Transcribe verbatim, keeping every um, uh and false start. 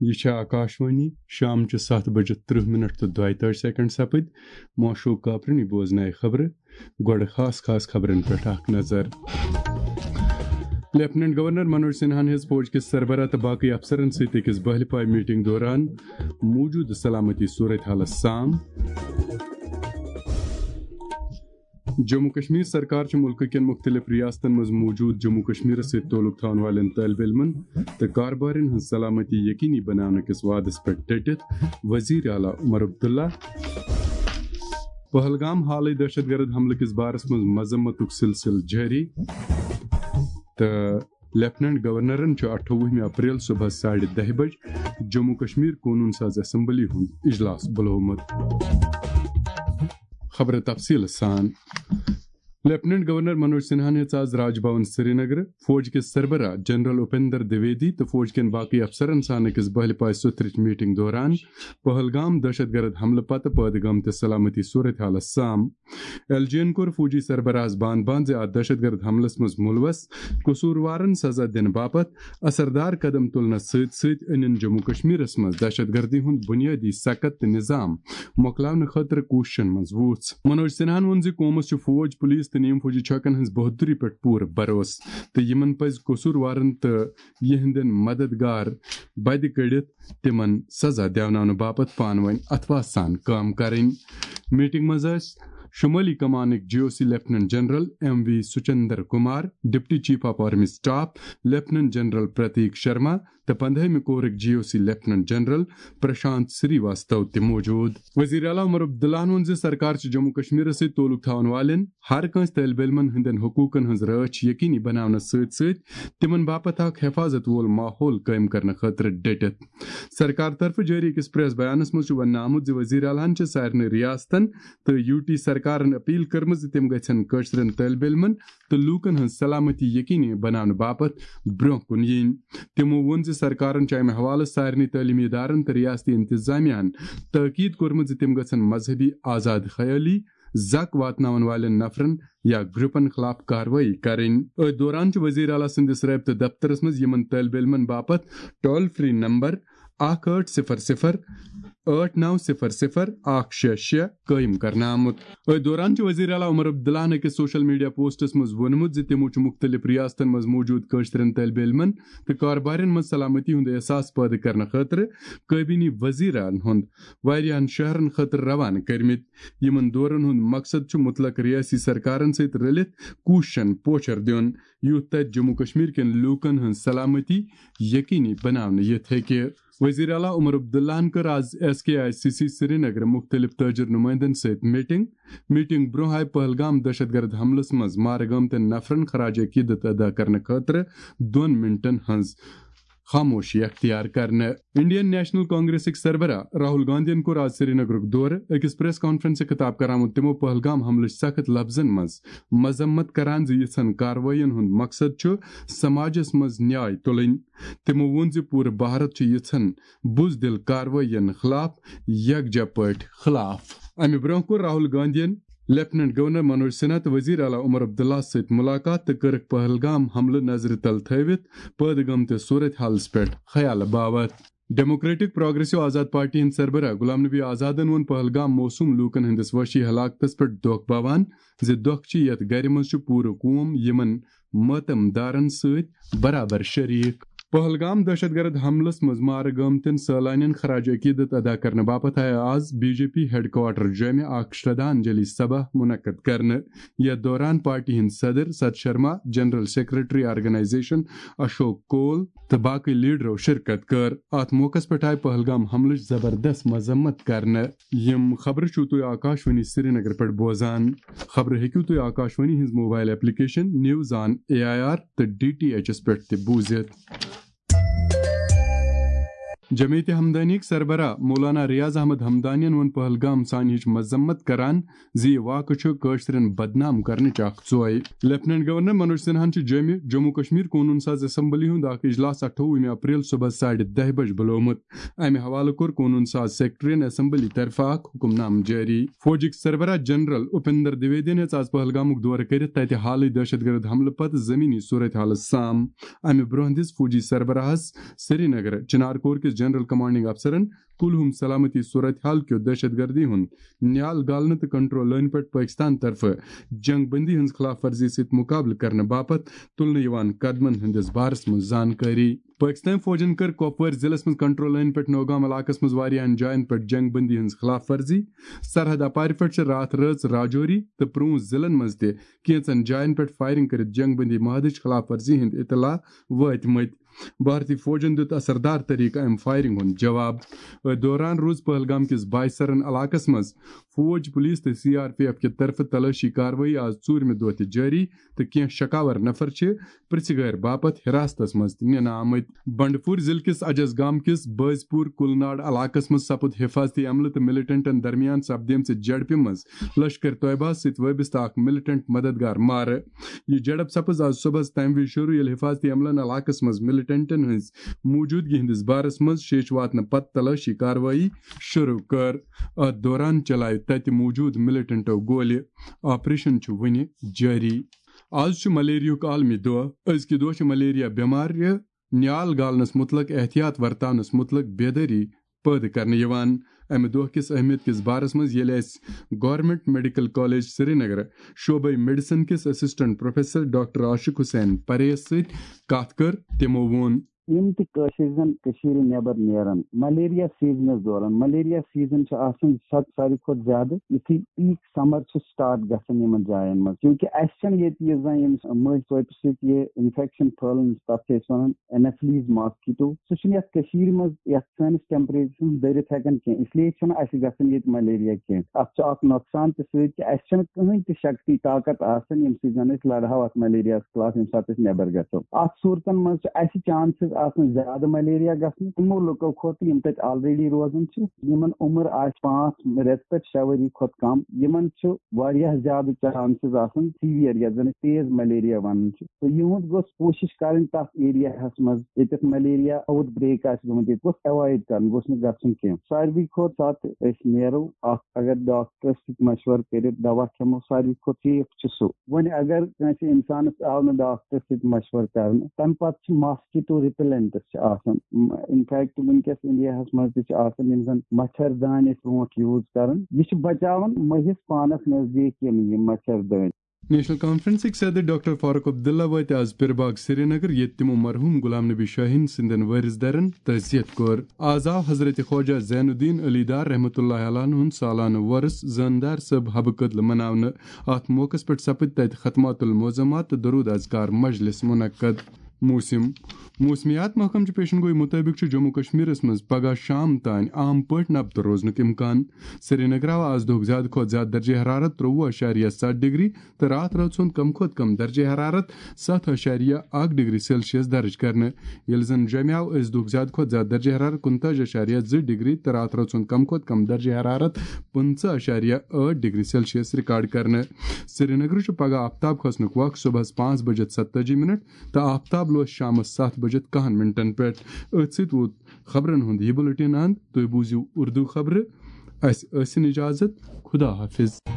یہِ چھےٚ آکاشوانی، شامچہِ ستھ بجہِ ترٕہ منٹ تہٕ دۄیہِ تٲجۍ سیکنڈ سپٕدۍ۔ معشوق کاپرنی بوزنایہِ خبرٕ۔ گۄڈٕ خاص خاص خبرن پٮ۪ٹھ اکھ نظر۔ لیفٹیننٹ گورنر منوج سنہاہن ہیٚژ فوج کِس سربراہ تہٕ باقٕے افسرن سۭتۍ أکِس بہلہِ پایہِ میٹنگ دوران موجودٕ سلامتی صورت حالس سام۔ جموں کشمیر سرکار چھِ مُلکہٕ کٮ۪ن مُختٔلِف ریاستن منٛز موجود جموں کشمیرس سۭتۍ تعلق تھاون والٮ۪ن طٲلب علمن تہٕ کاربارٮ۪ن ہٕنٛز سلامتی یقینی بناونہٕ کِس وعدس پٮ۪ٹھ ڈٔٹِتھ وزیر اعلیٰ عمر عبداللہ۔ پہلگام حالٕے دہشت گرد حملہٕ کِس بارس منٛز مذمتُک سلسلہٕ جٲری تہٕ لیفٹیننٹ گورنرن چھُ اَٹھووُہمہِ اپریل صبحس ساڑِ دَہہِ بجہِ جموں کشمیر قونوٗن ساز اسمبلی ہُنٛد اجلاس بُلومُت۔ خبرٕ تفصیٖل سان۔ لیفٹیننٹ گورنر منوج سنہاہن ہیٚژ آز راج بھون سرینگر فوج کِس سربراہ جنرل اپیندر دویدی تہٕ فوج کٮ۪ن باقٕے افسرن سان أکِس بہلہِ پایہِ سُتھرٕچ میٹنگ دوران پہلگام دہشت گرد حملہٕ پتہٕ پٲدٕ گٲمتِس سلامتی صورت حالس سام۔ ایل جی ین کوٚر فوجی سربراہس بان بان زِ اتھ دہشت گرد حملس منٛز ملوث قصوٗروارن سزا دِنہٕ باپتھ اثردار قدم تُلنس سۭتۍ سۭتۍ أنِن جموں کشمیرس منٛز دہشت گردی ہُنٛد بنیٲدی سکت تہٕ نظام مۄکلاونہٕ خٲطرٕ کوٗششن منٛز وُژھ۔ منوج سنہاہن ووٚن زِ قومس چھُ فوج، پولیس تہٕ نیم فوجی چھکن ہٕنٛز بہادری پٮ۪ٹھ پوٗرٕ بھروسہٕ تہٕ یِمن پزِ قصوٗروارن تہٕ یِہنٛدٮ۪ن مددگار بدِ کٔڑِتھ تِمن سزا دیوناونہٕ باپتھ پانہٕ وٲنۍ اتھواہ سان کٲم کرٕنۍ۔ میٹنگ منٛز ٲسۍ شمٲلی کمانٕکۍ G O C lieutenant general M V Suchindra Kumar, deputy chief of army staff lieutenant general Prateek Sharma تہٕ پندہٲمہِ کورٕکۍ G O C lieutenant general Prashant Srivastava تہِ موجود۔ وزیر اعلیٰ عمر عبداللہن ووٚن زِ سرکار چھِ جموں کشمیرس سۭتۍ تعلق تھاون والٮ۪ن ہر کٲنٛسہِ طٲلب علمن ہٕنٛدٮ۪ن حقوٗقن ہٕنٛز رٲچھ یقینی بناونس سۭتۍ سۭتۍ تِمن باپتھ اکھ حفاظت وول ماحول قٲیِم کرنہٕ خٲطرٕ ڈٔٹِتھ۔ سرکار طرفہٕ جٲری أکِس پریس بیانس منٛز چھُ وننہٕ آمُت زِ وزیر اعلیٰ ہن چھِ سارنٕے ریاستن تہٕ یوٗ ٹی سرکارن اپیل کٔرمٕژ زِ تِم گژھن کٲشرٮ۪ن طٲلب علمن تہٕ لوٗکن ہٕنٛز سلامتی یقینی بناونہٕ باپتھ برٛونٛہہ کُن یِنۍ۔ تِمو ووٚن زِ سرکارن چھُ امہِ حوالہٕ سارنٕے تعلیمی ادارن تہٕ ریاستی انتظامیہ ہن تٲکید کوٚرمُت زِ تِم گژھن مذہبی آزاد خیٲلی زک واتناون والٮ۪ن نفرن یا گروپن خلاف کاروٲیی کرٕنۍ۔ أتھۍ دوران چھُ وزیر اعلیٰ سٕنٛدِس رٲبطہٕ دفترس منٛز یِمن طٲلب علمن باپتھ ٹول فری نمبر اکھ ٲٹھ صفر صفر ٲٹھ نو صفر صفر اکھ شےٚ شےٚ قٲیِم کرنہٕ آمُت۔ أتھۍ دوران چھُ وزیر اعلیٰ عمر عبداللہن أکِس سوشل میڈیا پوسٹس منٛز ووٚنمُت زِ تِمو چھُ مُختٔلِف ریاستن منٛز موجود کٲشرٮ۪ن طٲلب علمن تہٕ کاربارٮ۪ن منٛز سلامتی ہُنٛد احساس پٲدٕ کرنہٕ خٲطرٕ کابینی وزیرن ہُنٛد واریاہن شہرن خٲطرٕ روانہٕ کٔرمٕتۍ۔ یِمن دورن ہُنٛد مقصد چھُ مُتلق ریاستی سرکارن سۭتۍ رٔلِتھ کوٗششن پوچھر دیُن، یُتھ تتہِ جموں کشمیر کٮ۪ن لوٗکن ہٕنٛز سلامتی یقینی بناونہٕ یِتھ ہیٚکہِ۔ وزیر اعلیٰ عمر عبداللہن کٔر آز S K I C C Srinagar مُختٔلِف تٲجر نُمٲیندن سۭتۍ میٹنگ۔ میٹنگ برٛونٛہہ آیہِ پہلگام دہشت گرد حملس منٛز مارٕ گٲمتٮ۪ن نفرن خراج عقیدت ادا کرنہٕ خٲطرٕ دۄن منٹن ہٕنٛز خاموشی اختیار کرنہٕ۔ انڈین نیشنل کانگریسٕکۍ سربراہ راہل گاندھین کوٚر آز سرینگرُک دورٕ۔ أکِس پریس کانفرنسہِ خطاب کران ووٚن تِمو پہلگام حملٕچ سخت لفظن منٛز مذمت کران زِ یِژھن کاروٲیین ہُنٛد مقصد چھُ سماجس منٛز نیاے تُلٕنۍ۔ تِمو ووٚن زِ پوٗرٕ بھارت چھُ یِژھن بُزدِل کاروٲیین خلاف یکجا پٲٹھۍ خلاف۔ امہِ برٛونٛہہ کوٚر راہل گاندھین لیفٹیننٹ گورنر منوج سنہا تہٕ وزیر اعلیٰ عمر عبداللہ سۭتۍ مُلاقات تہٕ کٔرٕکھ پہلگام حملہٕ نظرِ تل تھٲوِتھ پٲدٕ گٲمتِس صورت حالس پٮ۪ٹھ خیالہٕ باوتھ۔ ڈیموکریٹک پروگریسو آزاد پارٹی ہٕنٛدۍ سربراہ غلام نبی آزادن ووٚن پہلگام موصوم لوٗکن ہٕنٛدِس وحشی ہلاکتس پٮ۪ٹھ دۄکھ باوان زِ دۄکھ چھِ یتھ گرِ منٛز چھُ پوٗرٕ قوم یِمن ماتم دارن سۭتۍ برابر شریک۔ پہلگام دہشت گرد حملس منٛز مارٕ گٲمتٮ۪ن سٲلانٮ۪ن خراج عقیدت ادا کرنہٕ باپتھ آیہِ آز B J P headquarter جومہِ اکھ شردھانجلی سبھا منعقد کرنہٕ۔ یتھ دوران پارٹی ہٕنٛدۍ صدر Sat Sharma, general secretary organisation Ashok Kaul تہٕ باقٕے لیڈرو شرکت کٔر۔ اتھ موقعس پٮ۪ٹھ آیہِ پہلگام حملٕچ زبردست مذمت کرنہٕ۔ یِم خبرٕ چھِو تُہۍ آکاشوانی سرینگر پٮ۪ٹھ بوزان۔ خبرٕ ہیٚکِو تُہۍ آکاشوانی ہٕنٛز mobile application news on A I R تہٕ ڈی ٹی ایچ ایس پٮ۪ٹھ تہِ بوٗزِتھ۔ جمعیت ہمدانیٕکۍ سربراہ مولانا ریاض احمد ہمدانین ووٚن پہلگام سانحٕچ مذمت کران زِ یہِ واقعہٕ چھُ کٲشرٮ۪ن بدنام کرنٕچ اکھ ژوے۔ لیفٹیننٹ گورنر منوج سنہاہن چھُ جوٚمہِ جموں کشمیر قونوٗن ساز اسمبلی ہُنٛد اکھ اجلاس اَٹھووُہمہِ اپریل صبحس ساڑِ دَہہِ بجہِ بُلومُت۔ امہِ حوالہٕ کوٚر قونوٗن ساز سیکرٹریَن اسمبلی طرفہٕ اکھ حکم نامہٕ جٲری۔ فوجٕکۍ سربراہ جنرل اپیندر دویدین ہیٚژ آز پہلگامُک دورٕ کٔرِتھ تتہِ حالٕے دہشت گرد حملہٕ پتہٕ زمینی صورت حالس سام۔ امہِ برٛونٛہہ دِژ فوجی سربراہس سرینگر چنار کور کِس جنرل کمانڈنگ افسرن کُلہُم سلامتی صورت حال کیو دہشت گردی ہُنٛد نیال گالنہٕ تہٕ کنٹرول لٲنہِ پٮ۪ٹھ پٲکستان طرفہٕ جنگ بندی ہٕنٛز خلاف ورزی سۭتۍ مُقابلہٕ کرنہٕ باپتھ تُلنہٕ یِوان قدمن ہٕنٛدِس بارس منٛز زانکٲری۔ پٲکستٲنۍ فوجن کٔر کۄپوٲرۍ ضلعس منٛز کنٹرول لٲنہِ پٮ۪ٹھ نوگام علاقس منٛز واریاہن جاین پٮ۪ٹھ جنگ بندی ہٕنٛز خلاف ورزی۔ سرحد اپارِ پٮ۪ٹھ چھِ راتھ رٲژ راجوری تہٕ پرونٛژھ ضلعن منٛز تہِ کینٛژن جاین پٮ۪ٹھ فائرنگ کٔرِتھ جنگ بندی معاہدٕچ خلاف ورزی ہٕنٛدۍ اطلاع وٲتمٕتۍ۔ بھارتی فوجن دیُت اثردار طریقہٕ امہِ فائرنگ ہُنٛد جواب۔ أتھۍ دوران روٗز پہلگام کِس بائیسرن علاقس منٛز فوج، پولیس تہٕ سی آر پی ایف کہِ طرفہٕ تلٲشی کاروٲیی آز ژوٗرمہِ دۄہ تہِ جٲری تہٕ کینٛہہ شکاور نفر چھِ پرژھگٲرۍ باپتھ حراستس منٛز تہِ نِنہٕ آمٕتۍ۔ بنڈپور ضلعہٕ کِس اجس گام کِس بٲزپور کُلناڑ علاقس منٛز سپُد حفاظتی عملہٕ تہٕ ملٹنٹن درمیان سپدیمژِ جھڑپہِ منٛز لشکر طیبہ سۭتۍ وابستہٕ اکھ ملٹنٹ مددگار مارٕ۔ یہِ جھڑپ سپٕز آز صبحس تمہِ وِزِ شروع، ییٚلہِ حفاظتی عملن علاقس منٛز ملٹنٹن ہٕنٛز موجودگی ہٕنٛدِس بارس منٛز شیش واتنہٕ پتہٕ تلٲشی کاروٲیی شروع کٔر۔ اتھ دوران چلایہِ تتہِ موجود ملٹنٹو گولہِ۔ آپریشن چھُ وُنہِ جٲری۔ آز چھُ ملیریاہُک عالمی دۄہ۔ أزکہِ دۄہ چھِ ملیریا بٮ۪مارِ نیال گالنس مُتعلق احتیاط ورتاونس مُتعلق بیدٲری پٲدٕ کرنہٕ یِوان۔ امہِ دۄہ کِس اہمیت کِس بارس منٛز ییٚلہِ اسہِ گورنمنٹ میڈیکل کالج سرینگر شعبے میڈیسن کِس اسسٹنٹ پروفیسر ڈاکٹر عاشق حسین پریس سۭتۍ کتھ کٔر، تِمو ووٚن۔ یِم تہِ کٲشِر زَن کٔشیٖرِ نٮ۪بر نیران، ملیریا سیزنَس دوران، ملیریا سیزن چھُ آسان سا-، ساروی کھۄتہٕ زیادٕ یُتھُے پیٖک سمر چھُ سٹارٹ گژھان یِمن جاین منٛز، کیونکہِ اَسہِ چھَنہٕ ییٚتہِ یہِ زَن یِم مٔہۍ ژۄپہِ سۭتۍ یہِ انفیکشن پھٲلان، تَتھ چھِ أسۍ وَنان اینافلیز ماسکیٹو، سُہ چھُنہٕ یَتھ کٔشیٖرِ منٛز یَتھ سٲنِس ٹیمپریچرس منٛز دٔرِتھ ہٮ۪کان کینٛہہ، اس لیے چھُنہٕ اَسہِ گژھان ییٚتہِ ملیریا کینٛہہ۔ اَتھ چھُ اکھ نۄقصان تہِ سۭتۍ کہِ اَسہِ چھَنہٕ کٕہٕنۍ تہِ شکتی طاقت آسان، ییٚمہِ سۭتۍ زَن أسۍ لڑہاو اَتھ ملیریاہَس خلاف، ییٚمہِ ساتہٕ أسۍ نٮ۪بر گژھو۔ اَتھ صوٗرتن منٛز چھُ اَسہِ چانسز آسان زیادٕ ملیریا گژھنُک۔ تِمو لُکو کھۄتہٕ یِم تَتہِ آلریڈی روزان چھِ، یِمن عمر آسہِ پانٛژھ رٮ۪تہٕ پٮ۪ٹھ شےٚ ؤری کھۄتہٕ کم، یِمن چھُ واریاہ زیادٕ چانسز آسان سیویئر، یَتھ زَن أسۍ تیز ملیریا وَنان چھِ۔ تہٕ یِہُنٛد گوٚژھ کوٗشِش کَرٕنۍ تَتھ ایریاہَس منٛز، ییٚتٮ۪تھ ملیریا آوُٹ بریک آسہِ گوٚمُت، ییٚتہِ گوٚژھ ایوایڈ کَرُن، گوٚژھ نہٕ گژھُن کینٛہہ۔ ساروی کھۄتہٕ ساتہٕ أسۍ نیرو اَکھ، اگر ڈاکٹرس سۭتۍ مشورٕ کٔرِتھ دوا کھٮ۪مو، ساروی کھۄتہٕ سیف چھُ سُہ۔ وۄنۍ اگر کٲنٛسہِ اِنسانَس آو نہٕ ڈاکٹرس سۭتۍ مشورٕ کرنہٕ، تَمہِ پَتہٕ چھِ ماسکیٹو رِپیلنٹس چھِ آسان۔ انفیکٹ وٕنکیٚس انڈیاہَس منٛز تہِ چھِ آسان، یِم زَن مچھر دانہِ ٲسۍ برونٛٹھ یوٗز کران، یہِ چھِ بچاوان مٔہِس پانَس نزدیٖک یِم، یِم مچھر دٲنۍ۔ نیشنل کانفرنسٕکۍ صدر ڈاکٹر فاروق عبداللہ وٲتۍ آز پِرباگ سرینگر، ییٚتہِ تِمو مرحوم غلام نبی شاہین سٕنٛدٮ۪ن وٲرِث دَرن تعزیت کوٚر۔ آز آو حضرت خواجہ زین الدین علی دار رحمتہ اللہ علیہ ہُنٛد سالانہٕ وۄرُس زٲندار صٲب حبہٕ کدلہٕ مناونہٕ۔ اَتھ موقعس پٮ۪ٹھ سپٕدۍ تَتہِ ختمات المعظمات تہٕ درود اذکار مجلس منعقد۔ موسم۔ موسمیات محکمہٕ چہِ پیشن گوئی مُطٲبِق چھُ جموں کشمیرس منٛز پگہہ شام تام عام پٲٹھۍ نبتہٕ روزنُک امکان۔ سرینگر آو آز دۄہُک زیادٕ کھۄتہٕ زیادٕ درجہ حرارت ترٛۆوُہ اَشاریہ سَتھ ڈگری تہٕ راتھ رٲژ ہُنٛد کم کھۄتہٕ کم درجہ حرارت ستھ اَشاریہ اَکھ ڈگری سیلسیس درج کرنہٕ، ییٚلہِ زن جوٚمہِ آو أزۍ دۄہُک زیادٕ کھۄتہٕ زیادٕ درجہ حرارت کُنتٲجی اَشاریہ زٕ ڈگری تہٕ راتھ رٲژ ہُنٛد کم کھۄتہٕ کم درجہ حرارت پٕنٛژٕہ اَشاریہ ٲٹھ ڈگری سیلسیس ریکارڈ کرنہٕ۔ سرینگرٕ چھُ پگہہ آفتاب کھسنُک وق صبحس پانٛژھ بجے ستٲجی منٹ تہٕ آفتاب لوس شامس ستھ بجے کہن منٹن پٮ۪ٹھ۔ أتھۍ سۭتۍ ووت خبرن ہُنٛد یہِ بُلٹن اند۔ تُہۍ بوٗزِو اردو خبرٕ۔ اسہِ ٲسِن اجازت۔ خدا حافظ۔